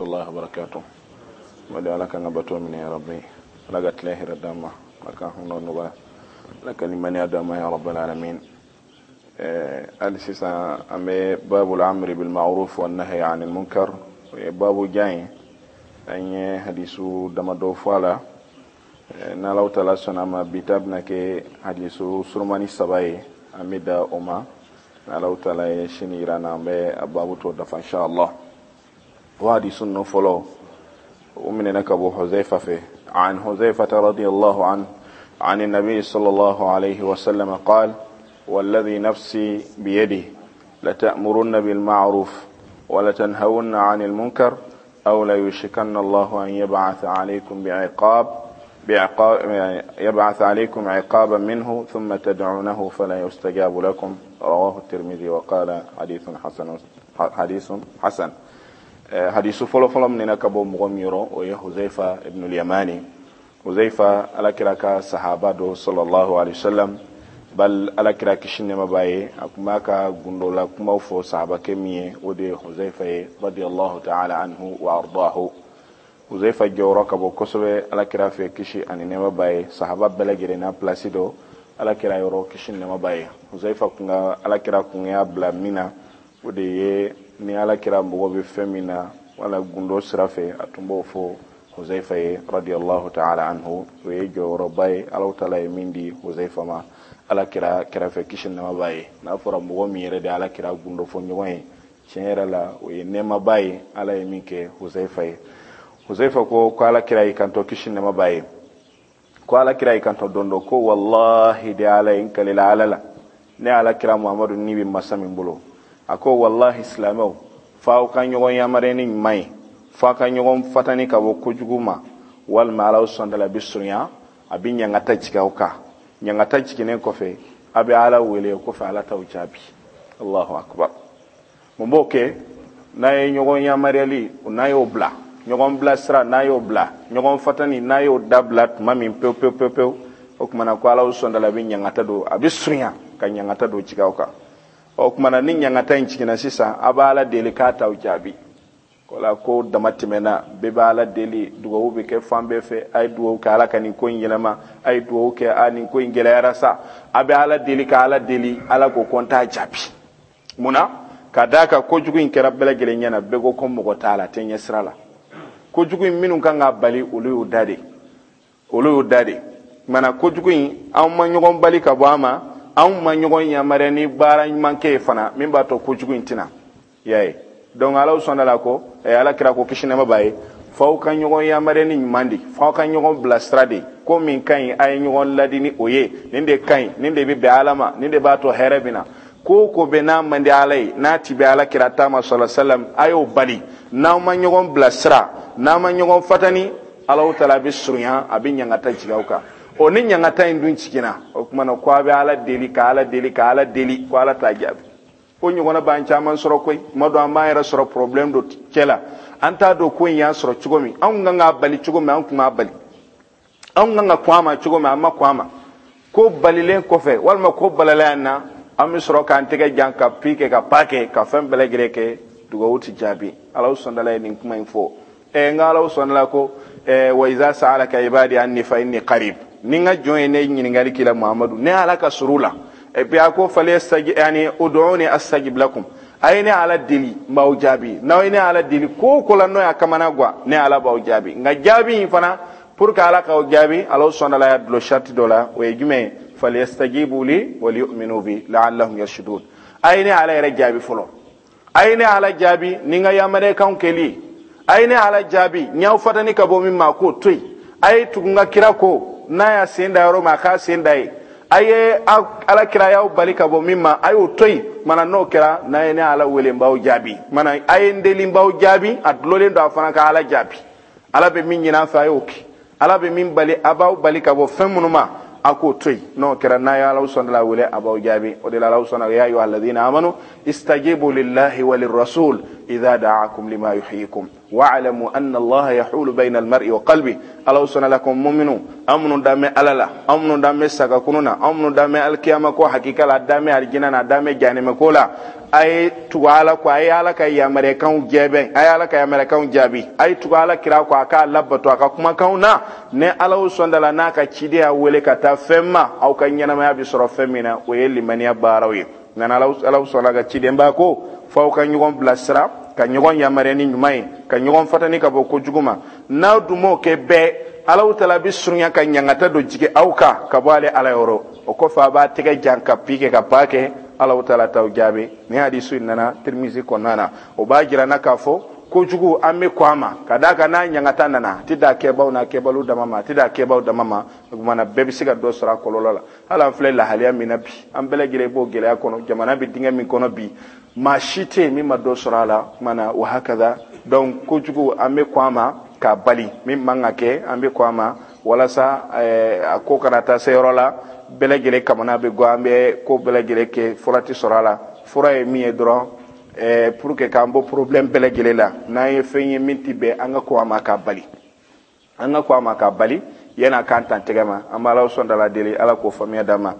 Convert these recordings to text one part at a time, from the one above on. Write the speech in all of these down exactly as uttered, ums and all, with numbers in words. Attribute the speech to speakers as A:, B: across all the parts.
A: الله وبركاته. ودي على كان باتو من يا ربي لا قتله ردما لك هنا نبا لك لمن يدما يا رب العالمين. السيسا أمي باب الأمر بالمعروف والنهي عن المنكر باب جاي أن حديثو دمدو فالا نالو تلاسنا ما بيتابنا كي حديثو سرماني سباي أمي دا أما نالو تلا شنيرانا أمي بابو تودف إن شاء الله. وحديث النفلو ومن أبو حذيفة فيه عن حذيفة رضي الله عنه عن النبي صلى الله عليه وسلم قال: والذي نفسي بيده لتأمرن بالمعروف ولتنهون عن المنكر أو ليوشكن الله أن يبعث عليكم بعقاب بعقاب يبعث عليكم عقابا منه ثم تدعونه فلا يستجاب لكم. رواه الترمذي وقال حديث حسن. حديث حسن. حديث فلو فلو من أبو مغميرو وهي حذيفة ابن اليماني. حذيفة على كراك صحابة دو صلى الله عليه وسلم بل على كراك شنما باي أكماك غندولا كما فو صحابة كمية ودي حذيفة رضي الله تعالى عنه وأرضاه. حذيفة جورك أبو كسبة على كراك كشي أن نما باي صحابة بلغرنا بلاسيدو على كرا يورو كشي نما باي حذيفة كنا على كراك كنا بلا منا ودي ni ala kira mɔgɔ bɛ fɛn min na wala gundo sira fɛ a tun b'o fɔ Huzaifa ye radiyallahu ta'ala anhu. O ye jɔyɔrɔba ye Alahu taala ye min di Huzaifa ma ala kira kɛrɛfɛ kisi nɛɛma b'a ye. N'a fɔra mɔgɔ min yɛrɛ de ala kira gundo fɔ ɲɔgɔn ye tiɲɛ yɛrɛ la o ye nɛɛmaba ye ala ye min kɛ Huzaifa ye. Huzaifa ko ko ala kira y'i kanto kisi nɛɛma b'a ye ko ala kira y'i kanto don dɔ ko wallahi de ala ye n kalila ala la ne ala kira Muhammadu ni bɛ masa min bolo. A ko wallahi silamɛw f'aw ka ɲɔgɔn yamaruya ni ɲuman ye f'aw ka ɲɔgɔn fatani ka bɔ kojugu ma walima Alahu subahana taala bɛ surunya a bɛ ɲangata jigin aw kan. Ɲangata jiginnen kɔfɛ a bɛ Ala wele o kɔfɛ Ala t'aw jaabi. Allahu akbar. Mun b'o kɛ? N'a ye ɲɔgɔn yamaruyali n'a y'o bila ɲɔgɔn bilasira n'a y'o bila ɲɔgɔn fatani n'a y'o dabila tuma min pewu pewu pewu pewu o tuma na ko Alahu subahana taala bɛ ɲangata don a bɛ surunya ka ɲangata don jigin aw kan. O tuma na ni ɲangata in jiginna sisan a b'a Ala deli k'a t'aw jaabi. O la ko dama tɛmɛna bɛɛ b'a Ala deli dugawu bɛ kɛ fan bɛɛ fɛ a ye dugawu kɛ Ala ka nin ko in yɛlɛma a ye dugawu kɛ a nin ko in gɛlɛyara sa a bɛ Ala deli ka Ala deli Ala ko ko n t'a jaabi. Mun na? Ka d'a kan kojugu in kɛra bɛɛ lajɛlen ɲɛna bɛɛ ko ko mɔgɔ t'a la a tɛ ɲɛ sira la. Kojugu in minnu kan k'a bali olu y'o da de olu y'o da de. Maana kojugu in anw ma ɲɔgɔn bali ka bɔ a ma anw ma ɲɔgɔn yamaruya ni baara ɲuman kɛ ye fana min b'a to kojugu in tɛna i y'a ye. Donc Alahu subahana taala ko ala kira ko kisi nɛɛma b'a ye f'aw ka ɲɔgɔn yamaruya ni ɲuman de f'aw ka ɲɔgɔn bilasira de ko min ka ɲi a ye ɲɔgɔn ladi ni o ye nin de ka ɲi nin de bɛ bɛn Ala ma nin de b'a to hɛrɛ bɛ na. Ko o ko bɛ n'a man di Ala ye n'a ti bɛn Ala kira ta ma sallallahu alaihi wasallam a y'o bali. N'aw ma ɲɔgɔn bilasira n'aw ma ɲɔgɔn fatani Alahu taala bɛ surunya a bɛ ɲangata jigin aw kan. O ni ɲangata in dun jiginna o tuma na ko a bɛ Ala deli ka Ala deli ka Ala deli ko Ala t'a jaabi. O ɲɔgɔnna b'an caman sɔrɔ koyi tuma dɔ an b'an yɛrɛ sɔrɔ problème dɔ cɛ la an t'a dɔn ko in y'an sɔrɔ cogo min anw kan k'a bali cogo min an tun b'a bali anw kan ka kɔn a ma cogo min an ma kɔn a ma. Ko balilen kɔfɛ walima ko balala yan na an bɛ sɔrɔ k'an tɛgɛ jan ka pi kɛ ka pa kɛ ka fɛn bɛɛ lajɛlen kɛ dugawu ti jaabi. Alahu subahana taala ye nin kuma in fɔ ɛ n ka Alahu subahana taala ko ɛ wa iza sa'alaka ibadi anni fa inni qarib ni n ka jɔn ye ne ɲininkali k'i la Muhamadu ne Ala ka surun la. Et puis a ko falyastaji yani ud'uni astajib lakum a ye ne Ala deli n b'aw jaabi. N'aw ye ne Ala deli ko o ko la n'o y'a kamana gan ne Ala b'aw jaabi. Nka jaabi in fana pour que Ala k'aw jaabi Alahu subahana taala y'a dulon sarati dɔ la o ye jumɛn ye? Falyastajibu li wa liyu'minu bi la'allahum yarshudun. A ye ne Ala yɛrɛ jaabi fɔlɔ a ye ne Ala jaabi ni n ka yamaruyakanw kɛli a ye ne Ala jaabi n y'aw fatani ka bɔ min ma k'o to yen a ye tugu n ka kira ko n'a y'a sen da yɔrɔ min a k'a sen da yen a ye ala kira y'aw bali ka bɔ min ma a y'o to yen. Mana n'o kɛra n'a ye ne Ala wele n b'aw jaabi mana a ye n deli n b'aw jaabi a dulolen don a fana ka Ala jaabi. Ala bɛ min ɲini an fɛ a y'o kɛ Ala bɛ min bali a b'aw bali ka bɔ fɛn minnu ma a k'o to yen. N'o kɛra n'a ye Alahu subahana taala wele a b'aw jaabi. O de la Alahu subahana ya ayyuha alladhina amanu istajibu lillahi wa lirrasul idha da'akum lima yuhyikum. Wa'lamu anna Allah yahulu bayna al-mar'i wa qalbi. Ala sɔnna la ko mu'minu amunu dame ala la, amunu dame saga kununa, amunu dame alkiyama ko hakika la, dame aljina na, dame jahanama ko la. Ay tugu ala ko, ay ala ka yamarekanw jɛbɛn, ay ala ka yamarekanw jaabi, ay tugu ala kira ko a k'a labato a ka kumakanw na. Ni ala sɔnda la n'a ka ciden y'a wele ka taa fɛn ma, aw ka ɲɛnamaya bɛ sɔrɔ fɛn min na, o ye limaniya baaraw ye. Nka ala sɔnna ka ciden ba ko f'aw ka ɲɔgɔn bilasira, ka ɲɔgɔn yamaruya ni ɲuman ye, ka ɲɔgɔn fatani ka bɔ kojugu ma. N'aw dun m'o kɛ bɛɛ, Ala tala bɛ surunya ka ɲangata dɔ jigin aw kan ka bɔ ale ala yɔrɔ. O kɔfɛ a b'a tɛgɛ jan ka pi kɛ ka pa kɛ, Ala tala t'aw jaabi. Ni hadisu in nana Tirimizi kɔnɔna na, o b'a jira n na k'a fɔ kojugu an bɛ kɔn a ma, ka d'a kan n'a ɲangata nana, a tɛ da kɛbaw n'a kɛbaliw dama ma, a tɛ da kɛbaw dama ma. O tuma na bɛɛ bɛ se ka dɔ sɔrɔ a kɔlɔlɔ la. Hali an filɛ lahalaya min na bi, an bɛɛ lajɛlen b'o gɛlɛya kɔnɔ, jamana bɛ dingɛ min kɔnɔ bi, maa si tɛ yen min ma dɔ sɔrɔ a la. O tuma na wa hakada. Donc kojugu an bɛ kɔn a ma k'a bali, min man ka kɛ an bɛ kɔn a ma, walasa a ko kana taa se yɔrɔ la bɛɛ lajɛlen kamana bɛ gɔ, an bɛ ko bɛɛ lajɛlen kɛ, fura tɛ sɔrɔ a la. Fura ye min ye dɔrɔn, pour que k'an bɔ problème bɛɛ lajɛlen la, n'an ye fɛn ye min tɛ bɛn, an ka kɔn a ma k'a bali, an ka kɔn a ma k'a bali yan'a k'an tan tɛgɛ ma. An b'Ala sɔn la deli, Ala k'o faamuya d'an ma.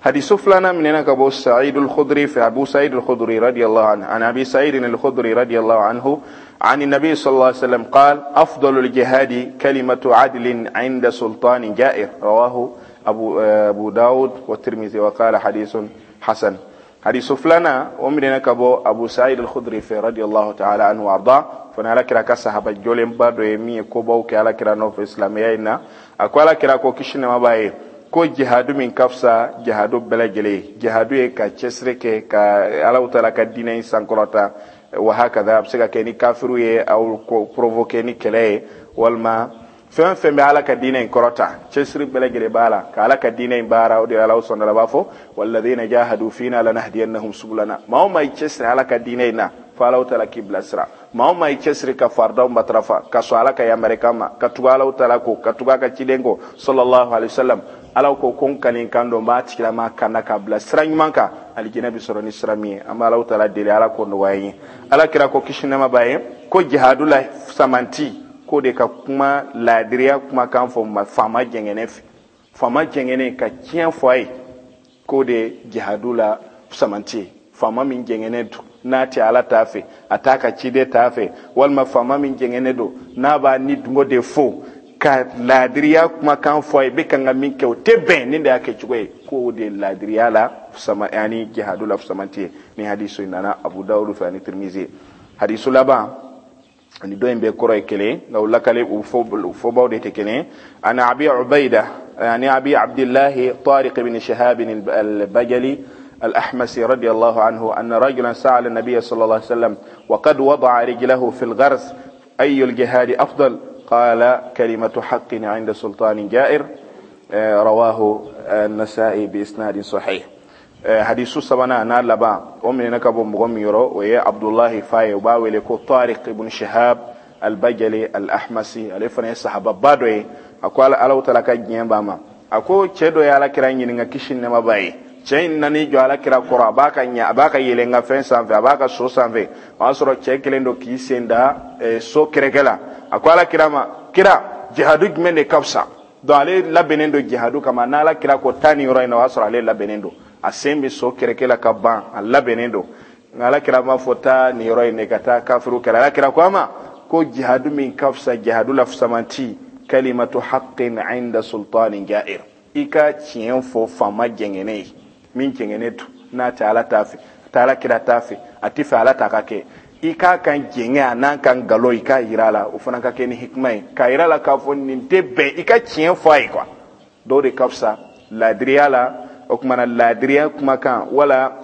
A: Hadisu filanan minɛna ka bɔ Sa'id al-Khudri fɛ, Abu Sa'id al-Khudri radiyallahu anhu, an Abi Sa'id al-Khudri radiyallahu anhu, عن النبي صلى الله عليه وسلم قال: أفضل الجهاد كلمة عدل عند سلطان جائر. رواه أبو, أبو داود والترمذي وقال حديث حسن. حديث فلانا ومن كبو أبو سعيد الخدري في رضي الله تعالى عنه وأرضاه. فانا على كرا كصحابة جولين بادو يمي كوباو كي على كرا نوف إسلاميين أكو على كرا كو كشنا ما باي ko jihadu min kafsa jihadu bɛɛ jihadu ye ka cɛsiri kɛ ka Ala taala ka diinɛ in sankɔrɔta. Wa hakada, a bɛ se ka kɛ ni kafiru ye aw provoquer ni kɛlɛ ye, walima fɛn fɛn bɛ Ala ka diinɛ in kɔrɔta, cɛsiri bɛɛ lajɛlen b'a la ka Ala ka diinɛ in baara. O de Ala sɔnna la b'a fɔ walladhina jahadu fina lanahdiyannahum subulana. Maa o maa i cɛsiri Ala ka diinɛ in na, fo Ala taala k'i bilasira. Maa o maa i cɛsiri ka faridaw matarafa, ka sɔn Ala ka yamarukan ma, ka tugu Ala taala ko, ka tugu a ka ciden kɔ sallallahu alaihi wasallam, Ala ko ko n kani kan dɔn, n b'a tigilama kanna k'a bila sira ɲuman kan, alijinɛ bɛ sɔrɔ ni sira min ye. An bɛ Ala taala deli, Ala k'o nɔgɔya n ye. Ala kira ko kisi nɛɛma b'a ye ko jihadu la samanti k'o de ka kuma laadiriya kumakan fɔ faama jɛngɛnɛ fɛ, faama jɛngɛnɛ ka tiɲɛ fɔ a ye, k'o de jihadu la samanti ye. Faama min jɛngɛnɛ don n'a tɛ Ala t'a fɛ, a t'a ka ciden t'a fɛ, walima faama min jɛngɛnɛ don n'a b'a ni dungo de fo ka laadiriya kumakan fɔ a ye, bɛ kan ka min kɛ o tɛ bɛn nin de y'a kɛcogo ye, k'o de laadiriya la sama ani jihadu la samanti ye. Ni hadisu nana Abu Dawud fɛ ani Tirmizi. Hadisu laban ani dɔ in bɛɛ kɔrɔ ye kelen, nka u lakale u fɔbaw de tɛ kelen. Ani Abi Ubayda ani Abi Abdillahi Tariq ibn Shihab al-Bajali الأحمسي رضي الله عنه أن رجلا سأل النبي صلى الله عليه وسلم وقد وضع رجله في الغرس أي الجهاد أفضل؟ قال كلمة حق عند سلطان جائر. رواه النسائي بإسناد صحيح. حديث سبنا نالبا ومن نكب مغميرو ويا عبد الله فاي وباوي لكو طارق بن شهاب البجلي الأحمسي ألفنا الصحابة بادوي أقول ألو تلك جنباما أكو تشدو يا لكرا ينغا كشين نما باي cɛ in nan'i jɔ Ala kira kɔrɔ, a b'a ka ɲɛ, a b'a ka yɛlɛn ka fɛn sanfɛ, a b'a ka so sanfɛ, o y'a sɔrɔ cɛ kelen don k'i sen da so kɛrɛkɛ la. A ko Ala kira ma, kira jihadu jumɛn de ka fisa? Donc ale labɛnnen don jihadu kama. N'Ala kira ko taa nin yɔrɔ in na, o y'a sɔrɔ ale labɛnnen don, a sen bɛ so kɛrɛkɛ la ka ban, a labɛnnen don. Nka Ala kira m'a fɔ taa nin yɔrɔ in de ka taa kafiru kɛlɛ. Ala kira ko a ma ko jihadu min ka fisa, jihadu la fisamanti, kalimatu haqqin inda sultanin ja'ir, i ka tiɲɛ fɔ faama jɛngɛnɛ ye, min jɛngɛnɛ don n'a tɛ Ala t'a fɛ, a tɛ Ala kira t'a fɛ, a tɛ fɛ Ala ta ka kɛ, i k'a kan jɛngɛ a n'a kan nkalon, i k'a yira a la, o fana ka kɛ ni hikima ye, k'a yira a la k'a fɔ nin tɛ bɛn, i ka tiɲɛ fɔ a ye quoi. Dɔw de ka fisa laadiriya la. O tuma na laadiriya kumakan wala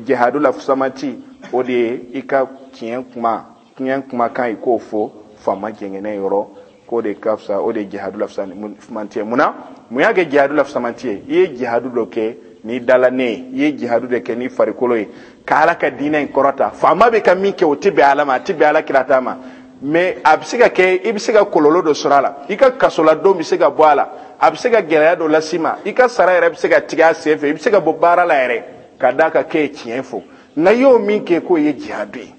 A: jihadu la fisamanti, o de ye i ka tiɲɛ kuma, tiɲɛ kumakan i k'o fɔ faama jɛngɛnɛ yɔrɔ, k'o de ka fisa, o de ye jihadu la fisamanti ye. Munna mun y'a kɛ jihadu la fisamanti ye? I ye jihadu dɔ kɛ ni dala ne ye, i ye jihadu de kɛ ni farikolo ye ka Ala ka diinɛ in kɔrɔta. Faama bɛ ka min kɛ o tɛ bɛn Ala ma, a tɛ bɛn Ala kira ta ma, mais a bɛ se ka kɛ i bɛ se ka kɔlɔlɔ dɔ sɔrɔ a la, i ka kasoladon bɛ se ka bɔ a la, a bɛ se ka gɛlɛya dɔ las'i ma, i ka sara yɛrɛ bɛ se ka tigɛ a sen fɛ, i bɛ se ka bɔ baara la yɛrɛ ka d'a kan k'e ye tiɲɛ fɔ. Nka i y'o min kɛ k'o ye jihadu ye.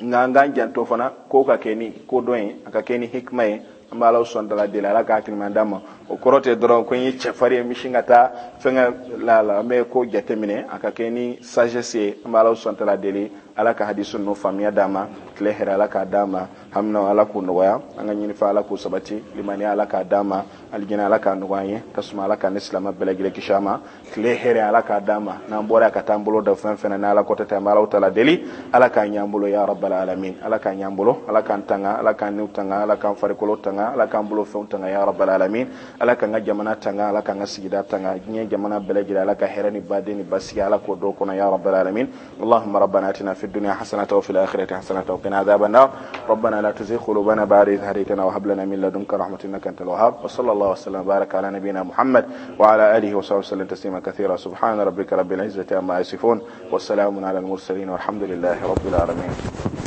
A: Nka an k'an janto fana ko ka kɛ ni ko dɔn ye, a ka kɛ ni hikima ye. An bɛ Ala sɔn dala deli, Ala ka hakilima d'an ma. O kɔrɔ tɛ dɔrɔn ko n ye cɛfarin ye, n bɛ sin ka taa fɛnkɛ la la. An bɛ ko jateminɛ, a ka kɛ ni sagesse ye. An bɛ Ala sɔn dala deli, Ala ka hadisu ninnu faamuya d'an ma. Tile hɛrɛ Ala k'a d'an ma, hamina Ala k'o nɔgɔya, an ka ɲinifɛn Ala k'o sabati, limaniya Ala k'a d'an ma, alijinɛ Ala k'a nɔgɔya an ye, tasuma Ala k'an ni silamɛ bɛɛ lajɛlen kisi a ma. Tile hɛrɛ Ala k'a d'an ma. N'an bɔra ka taa an bolo da fɛn fɛn na, n'Ala kɔtɛ tɛ, an bɛ Ala tala deli, Ala k'a ɲɛ an bolo ya rabbal alamin. Ala k'a ɲɛ an bolo, Ala k'an tanga, Ala k'an niw tanga, Ala k'an farikolo tanga, Ala k'an bolo fɛnw tanga ya rabbal alamin. Ala k'an ka jamana tanga, Ala k'an ka sigida tanga, diɲɛ jamana bɛɛ lajɛlen, Ala ka hɛrɛ ni baden ni basigi Ala k'o dɔw kɔnɔ ya rabbal alamin. Allahumma rabbana atina في الدنيا حسنة وفي الآخرة حسنة وقنا عذاب النار. ربنا لا تزغ قلوبنا بعد إذ هديتنا وهب لنا من لدنك رحمة إنك أنت الوهاب. وصلى الله وسلم وبارك على نبينا محمد وعلى آله وصحبه وسلم تسليما كثيرا. سبحان ربك رب العزة عما يصفون، والسلام على المرسلين، والحمد لله رب العالمين.